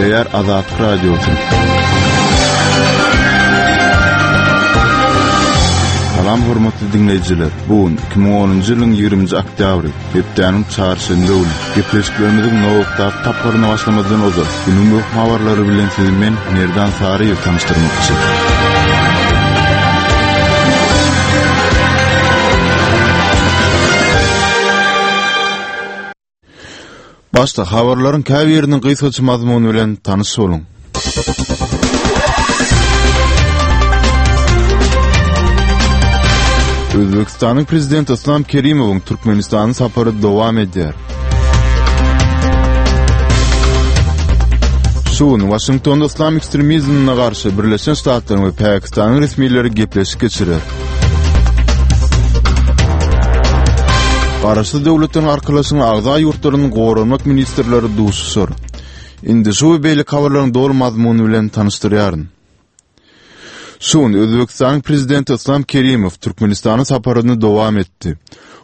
Gepleýär Azatlyk Radiosy. Salam hormatly diňleýjiler. Bu gün 2010-njy ýylyň 20-nji oktýabry, hepdäniň çarşenbe güni. Gepleşiklerimiziň nobatdaky tapgyryna başlamazdan ozal, günüň möhüm habarlary bilen sizi men, Merdan Saryýew tanyşdyrmakçy. Başda habarlaryň käbiriniň gysgaça mazmuny bilen tanyş boluň. Özbekistanyň prezidenti Islam Kerimowyň Türkmenistana sapary dowam edýär. Şu gün Waşingtonda yslam ekstremizmine garşy Birleşen Ştatlaryň we Pakistanyň resmileri gepleşik geçirer. Garaşsyz Döwletleriň Arkalaşygynyň agza ýurtlarynyň goranmak ministrleri duşuşar. Indi şu we beýleki habarlaryň doly mazmuny bilen tanyşdyrýaryn. Şu gün Özbegistanyň Prezidenti Yslam Kerimow Türkmenistana saparyny dowam etdi.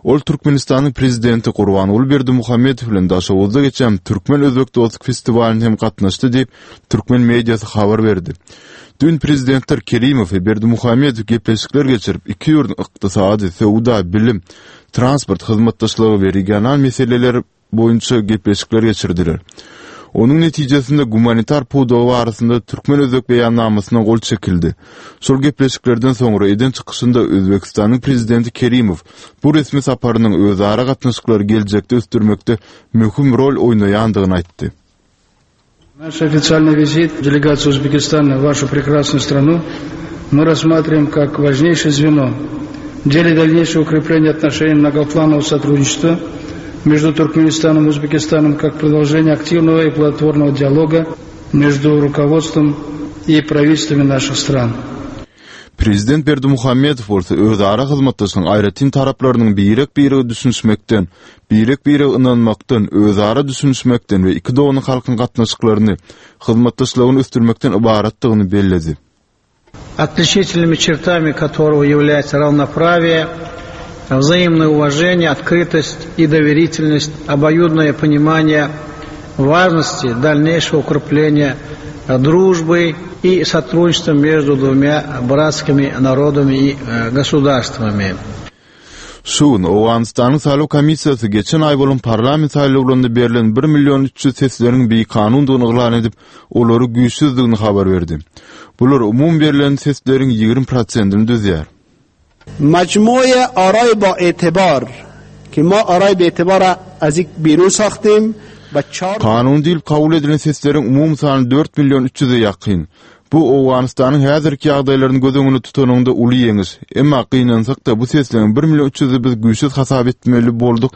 Ol Türkmenistanyň Prezidenti Gurbanguly Berdimuhamedow bilen Daşoguzda geçen Türkmen-özbek dostluk festiwalyna hem gatnaşdy diýip, türkmen mediasy habar berdi. Düýn prezidentler Kerimow we Berdimuhamedow gepleşikler geçirip, iki ýurduň ykdysady, söwda, bilim, transport hyzmatdaşlygy we regional meseleler boýunça gepleşikler geçirdiler. Onuň netijesinde gumanitar pudagy barasynda türkmen-özbek beýannamasyna gol çekildi. Şol gepleşiklerden soňra eden çykyşynda Özbegistanyň Prezidenti Kerimow bu resmi saparynyň özara gatnaşyklary geljekde ösdürmekde möhüm rol oýnaýandygyny aýtdy. Наш официальный визит делегации Узбекистана в вашу прекрасную страну мы рассматриваем как важнейшее звено в деле дальнейшего укрепления отношений многопланового сотрудничества между Туркменистаном и Узбекистаном как продолжение активного и плодотворного диалога между руководством и правительствами наших стран. Prezident Berdimuhamedow bolsa özara hyzmatdaşlygyň aýratyn taraplarynyň birek-birege düşünişmekden, birek-birege ynanmakdan, özara düşünişmekden we iki doganlyk halkyň gatnaşyklaryny, hyzmatdaşlygyny ösdürmekden ybaratdygyny belledi. Отличительными чертами которого является равноправие, взаимное уважение, открытость и доверительность, обоюдное понимание важности дальнейшего укрепления дружбы и сотрудничества между двумя братскими народами и э, государствами. Şu gün Owganystanyň saýlaw komissiýasy geçen aý bolan parlament saýlawlarynda berlen bir million 300 sesleriň bikanundygyny yglan edip, olary güýçsüzdigini habar berdi. Bular umumy berlen sesleriň 20 prosentini düzýär. مجموع آرای با اعتبار که ما آرای به اعتبار را از یک بیرون ساختیم و چهار Kanuny diýlip kabul edilen sesleriň umumy sany dört million üç ýüze ýakyn. Bu Owganystanyň häzirki ýagdaýlaryny göz öňünde tutanyňda uly ýeňiş. Emma gynansak-da bu sesleriň bir million üç ýüzi biz güýçsüz hasap etmeli bolduk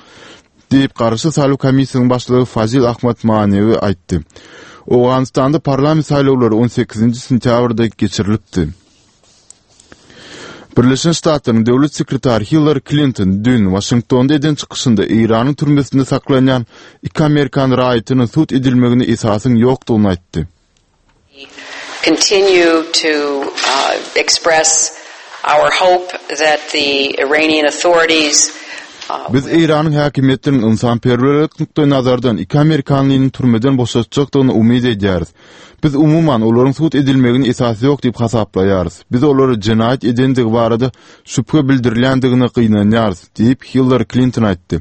diýip, Garaşsyz saýlaw komissiýasynyň başlygy Fazil Ahmad Manewi aýtdy. Owganystanda parlament saýlawlary on sekizinji sentýabrda geçirilipdi. Birleşen Ştatlaryň Döwlet sekretary Hillari Klinton düýn Waşingtonda eden çykyşynda Eýranyň türmesinde saklanýan iki amerikan raýatynyň sud edilmegine esasyň ýokdugyny aýtdy. Continue to express our hope that the Iranian authorities Biz Eýranyň häkimiýetleriniň ynsanperwerlik nukdaýnazardan iki amerikanlynyň türmeden boşatjakdygyna umyt edýäris. Biz umuman olaryň sud edilmegine esas ýok diýip hasaplaýarys. Biz olara jenaýat edendigi barada şübhe bildirilýändigine gynanýarys, diýip, Hillari Klinton aýtdy.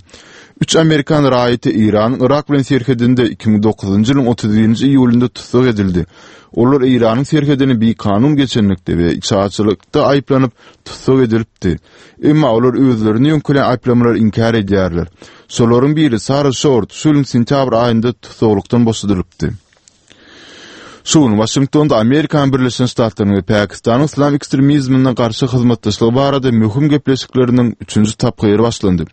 Üç amerikan raýaty Eýranyň Yrak bilen serhedinde 2009-njy ýylyň 31-nji iýulynda tussag edildi. Olar Eýranyň serhedini bikanun geçenlikde we içaçylykda aýyplanyp, tussag edilipdi. Emma olar özlerine ýöňkelen aýyplamalary inkär edýärler. Şolaryň biri Sara Şort şu ýylyň sentýabr aýynda tussaglykdan boşadylypdy. Şu gün Waşingtonda Amerikanyň Birleşen Ştatlarynyň we Pakistanyň yslam ekstremizmine garşy hyzmatdaşlygy barada möhüm gepleşikleriniň üçünji tapgyry başlandy.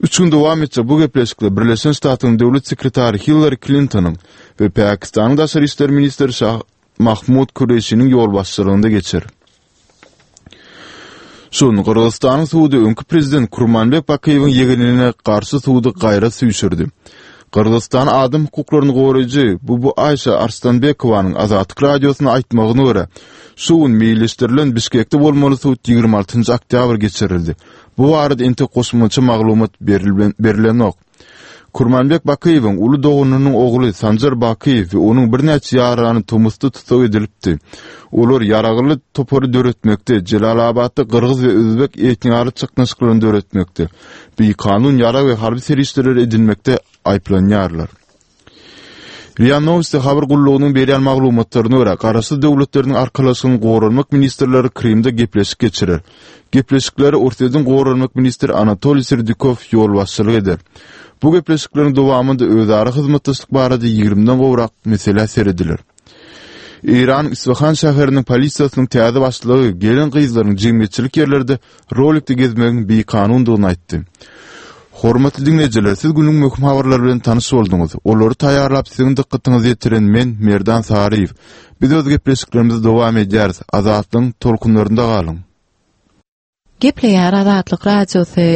Üç gün dowam etjek bu gepleşikler Birleşen Ştatlaryň Döwlet sekretary Hillari Klintonyň we Pakistanyň daşary işler ministri Şah Mahmud Kureşiniň ýolbaşçylygynda geçer. Şu gün Gyrgyzystanyň sudy öňki prezident Kurmanbek Bakyýewiň ýegenine garşy sudy gaýra süýşürdi. Gyrgyzystanyň adam hukuklaryny goraýjy Bubu Aýşa Arslanbekowanyň Azatlyk Radiosyna aýtmagyna görä, şu gün meýilleşdirilen Bişkekde bolmaly sud 26 oktýabr geçirildi. Bu barada entek goşmaça maglumat berilenok. Kurmanbek Bakyýewiň uly doganynyň ogly Sanjar Bakyýew we onuň birnäçe ýarany tomusda tussag edilipdi. Olar ýaragly topary döretmekde, Jelalabatda gyrgyz we özbek etniara çaknyşyklaryny döretmekde, bikanun ýarag we harby serişdeleri edinmekde aýyplanýarlar. Ria Nowosti habar gullugynyň berýän maglumatlaryna görä, Garaşsyz Döwletleriniň Arkalaşygynyň goranmak ministrleri Krymda gepleşik geçirer. Gepleşiklere Orsýetiň goranmak ministri Anatoliý Serdýukow ýolbaşçylyk eder. Bu gepleşikleriň dowamynda özara hyzmatdaşlyk barada ýigrimiden gowrak meselä serediler. Eýranyň Isfahan şäheriniň polisiýasynyň täze başlygy gelin-gyzlaryň jemgyýetçilik ýerlerde rolikde gezmegiň bikanundygyny aýtdy. Hormatly diňleýjiler, siz günüň möhüm habarlary bilen tanyş bolduňyz. Olary taýýarlap siziň dykgatyňyza ýetiren men, Merdan Saryýew. Biz öz gepleşiklerimizi dowam edýäris. Azatlygyň tolkunlarynda galyň! Gepleýär Azatlyk Radiosy.